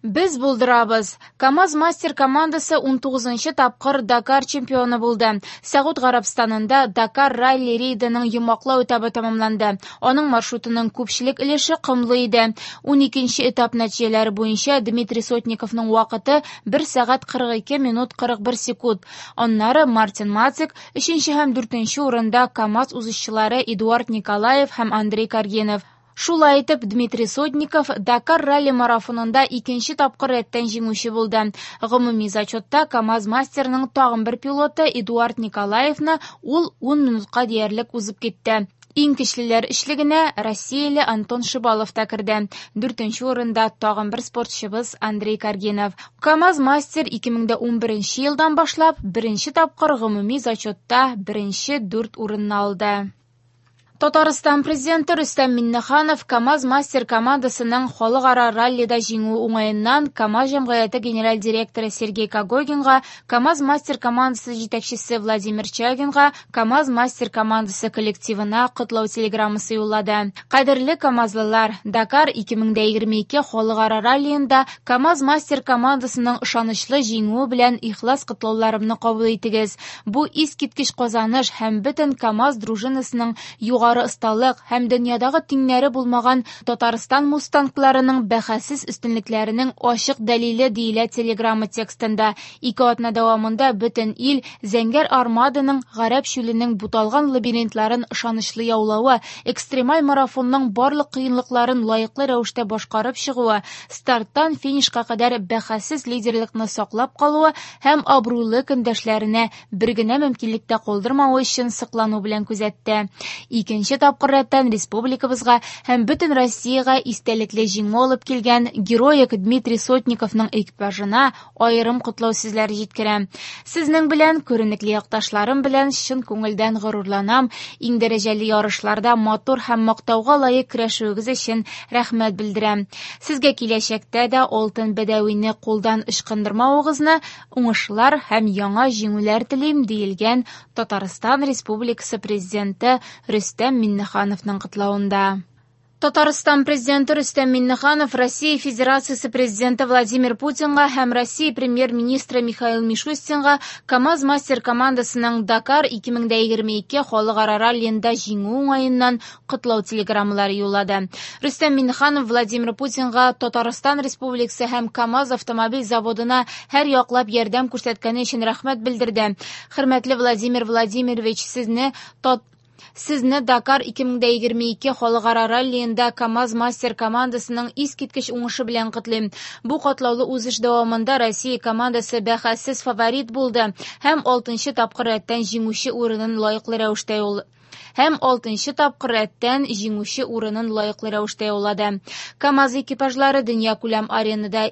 Без булдырабыз! КАМАЗ-Мастер командасы унтугызынчы тапкыр Дакар чемпионы булды. Сәгуд Гарәбстанында Дакар ралли-рейдының йомгаклау этабы тәмамланды. Аның маршрутының күпчелек өлеше комлы иде. Уникенче этап нәтиҗәләре буенча Дмитрий Сотниковның вакыты 1 сәгать 42 минут 41 секунд. Аннары Мартин Мацек, өченче һәм дүртенче урында КАМАЗ узышчылары Эдуард Николаев һәм Андрей Каргинов. Шулай итеп, Дмитрий Сотников Дакар ралли-марафонында икенче тапкыр рәттән җиңүче булды. Гомуми зачетта КАМАЗ-мастерның тагын бер пилоты Эдуард Николаевны ул 10 минутка диярлек узып китте. Иң көчлеләр өчлегенә россияле Антон Шибалов та керде. Дүртенче урында тагын бер спортчыбыз Андрей Каргинов. КАМАЗ-мастер 2011 елдан башлап беренче тапкыр гомуми зачетта беренче дүрт урынны алды. Татарстан Президенты Рөстәм Миңнеханов КАМАЗ-Мастер командасының халыкара раллида җиңүе уңаеннан КАМАЗ җәмгыяте генераль директоры Сергей Когогинга, КАМАЗ-Мастер командасы җитәкчесе Владимир Чагинга, КАМАЗ-Мастер командасы коллективына котлау телеграммасы юллады. Кадерле камазлылар, Дакар 2022 халыкара раллиенда КАМАЗ-Мастер командасының ышанычлы җиңүе белән ихлас котлауларымны кабул итегез. Бу искиткеч казаныш һәм бөтен КАМАЗ дружинасының югары осталык һәм дөньядагы тиңнәре булмаган Татарстан мустангларының бәхәссез өстенлекләренең ачык дәлиле, диелә телеграмма текстында. Ике атна дәвамында бөтен ил Зәңгәр Армаданың Гарәп чүленең буталган лабиринтларын ышанычлы яулавы, экстремаль марафонның барлык кыенлыкларын лаеклы рәвештә башкарып чыгуы, старттан финишка кадәр бәхәссез лидерлыкны саклап калуы һәм абруйлы көндәшләренә бер генә мөмкинлек тә калдырмавы өчен соклану белән күзәтте. Икенче тапкыр рәттән республикабызга һәм бөтен Россиягә истәлекле җиңү алып килгән героик Дмитрий Сотниковның экипажына аерым котлау сүзләре җиткерәм. Сезнең белән, күренекле якташларым белән чын күңелдән горурланам. Иң дәрәҗәле ярышларда матур һәм мактауга лаек көрәшүегез өчен рәхмәт белдерәм. Сезгә киләчәктә дә алтын бәдәвине кулдан ычкындырмавыгызны, уңышлар һәм яңа җиңүләр телим, диелгән Татарстан Республикасы Президенты Рөстәм Миңнехановның котлавында. Татарстан Президенты Рөстәм Миңнеханов Россия Федерациясе Президенты Владимир Путинга һәм Россия Премьер-министры Михаил Мишустинга КАМАЗ-Мастер командасының Дакар 2022 халыкара раллиенда җиңү уңаеннан котлау телеграммалары юллады. Рөстәм Миңнеханов Владимир Путинга Татарстан Республикасы һәм КАМАЗ автомобиль заводына һәр яклап ярдәм күрсәткәне өчен рәхмәт белдерде. Хөрмәтле Владимир Владимирович, сезне Дакар 2022 халыкара раллиенда КАМАЗ-Мастер командасының искиткеч уңышы белән котлыйм. Бу катлаулы узыш дәвамында Россия командасы бәхәссез фаворит булды һәм алтынчы тапкыр рәттән җиңүче урынын лаеклы рәвештә һәм алтынчы тапкыр рәттән җиңүче урынын лаеклы рәвештә яулады. КАМАЗ экипажлары дөньякүләм аренада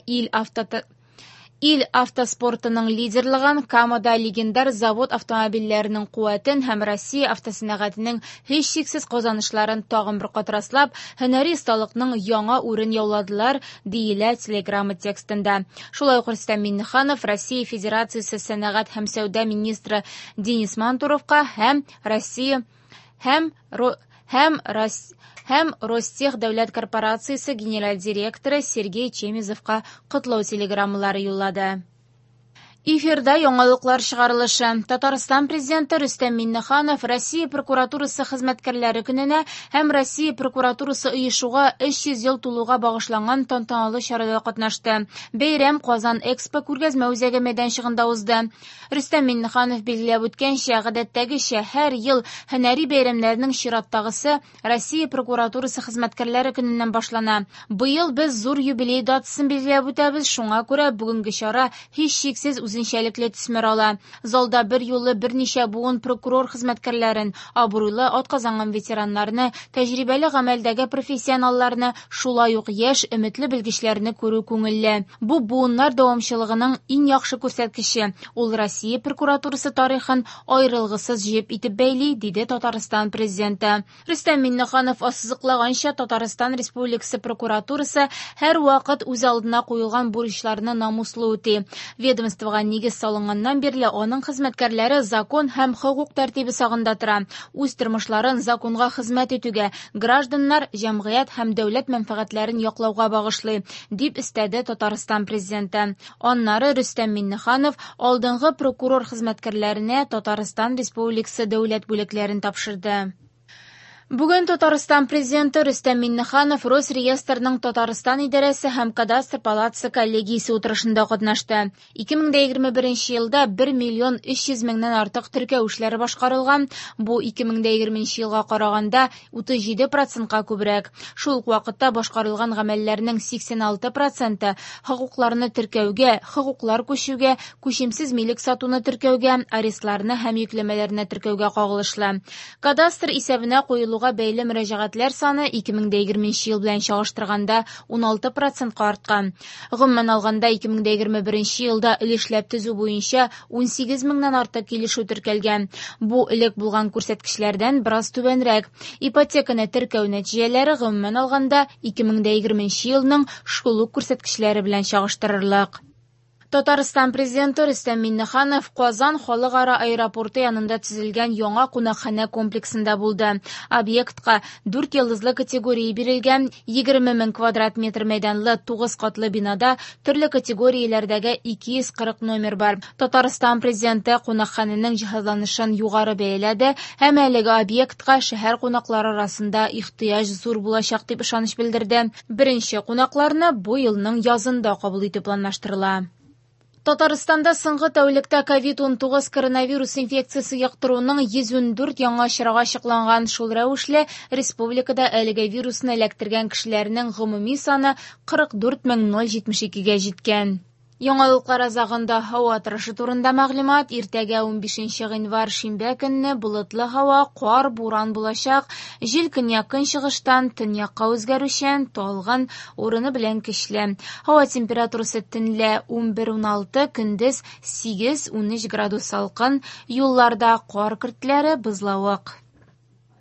ил автоспортының лидерлыгын, Камада легендар завод автомобильләренең куәтен һәм Россия автосәнәгатенең һичшиксез казанышларын тагын бер кат раслап, һөнәри осталыкның яңа үрен яуладылар, диелә телеграмма текстында. Шулай ук Рөстәм Миңнеханов Россия Федерациясе сәнәгать һәм сәүдә министры Денис Мантуровка һәм Россия һәм һәм һәм Ростех дәүләт корпорациясе генераль директоры Сергей Чемезовка котлау телеграммалары юллады. Эфирда яңалыклар чыгарылышы. Татарстан Президенты Рөстәм Миңнеханов Россия прокуратурасы хезмәткәрләре көненә һәм Россия прокуратурасы оешуга 300 ел тулуга багышланган тантаналы чарада катнашты. Бәйрәм Казан Экспо күргәзмә үзәге мәйданчыгында узды. Рөстәм Миңнеханов билгеләп үткәнчә, гадәттәгечә һәр ел һөнәри бәйрәмнәрнең чираттагысы Россия прокуратурасы хезмәткәрләре көненнән башлана. Быел без зур юбилей датасын билгеләп үтәбез, шуңа күрә бүгенге чара һичшиксез үзенчәлекле төсмер ала. Залда бер юлы берничә буын прокурор хезмәткәрләрен, абруйлы атказанган ветераннарны, тәҗрибәле гамәлдәге профессионалларны, шулай ук яшь, өметле белгечләрне күрү күңелле. Бу буыннар дәвамчылыгының иң яхшы күрсәткече. Ул Россия прокуратурасы тарихын аерылгысыз җеп итеп бәйли, диде Татарстан Президенты. Рөстәм Миңнеханов ассызыклаганча, Татарстан Республикасы прокуратурасы һәр вакыт үз алдына куелган бурычларны намуслы үти. Ведомствога Ведомствога нигез салынганнан бирле аның хезмәткәрләре закон һәм хокук тәртибе сагында тора, үз тормышларын законга хезмәт итүгә, гражданнар, җәмгыять һәм дәүләт мәнфәгатьләрен яклауга багышлый, дип өстәде Татарстан Президенты. Аннары Рөстәм Миңнеханов алдынгы прокурор хезмәткәрләренә Татарстан Республикасы дәүләт бүләкләрен тапшырды. Бүген Татарстан Президенты Рөстәм Миңнеханов Росреестрның Татарстан идарәсе һәм Кадастр палатасы коллегиясе утырышында катнашты. 2021 елда 1 миллион 300 меңнән артык теркәү эшләре башкарылган. Бу 2020 елга караганда 37 процентка күбрәк. Шул ук вакытта башкарылган гамәлләрнең 86 проценты хокукларны теркәүгә, хокуклар күчүгә, күчемсез милек сатуны теркәүгә, арестларны һәм йөкләмәләрне теркәүгә кагылышлы. Кадастр исәбенә куелуга бәйле мөрәҗәгатьләр саны 2020 ел белән чагыштырганда 16 процентка арткан. Гомумән алганда, 2021 елда өлешләп төзү буенча 18 меңнән артык килешү теркәлгән. Бу элек булган күрсәткечләрдән бераз түбәнрәк. Ипотеканы теркәү нәтиҗәләре гомумән алганда 2020 елның шул ук күрсәткечләре белән чагыштырырлык. Татарстан Президенты Рөстәм Миңнеханов Казан халыкара аэропорты янында төзелгән яңа кунакханә комплексында булды. Объектка 4 йолдызлы категория бирелгән, 20 мең квадрат метр мәйданлы 9 катлы бинада төрле категорияләрдәге 240 номер бар. Татарстан Президенты кунакханәнең җиһазланышын югары бәяләде һәм әлеге объектка шәһәр кунаклары арасында ихтыяҗ зур булачак дип ышаныч белдерде. Беренче кунакларны бу елның язында кабул итү планлаштырыла. Татарстанда соңгы тәүлектә COVID-19 коронавирус инфекциясе йоктыруның 114 яңа очрагы ачыкланган. Шул рәвешле республикада әлеге вирусны эләктергән кешеләрнең гомуми саны 44072-гә җиткән. Яңалыклар азагында һава торышы турында мәгълүмат. Иртәгә 15 гыйнвар шимбә көнне болытлы һава, кар, буран булачак. Җил көньяк-көнчыгыштан төньякка үзгәрүчән, талгын, урыны белән көчле. Һава температурасы төнлә 11-16, көндез 8-13 градус салкын. Юлларда кар көртләре, бозлавык.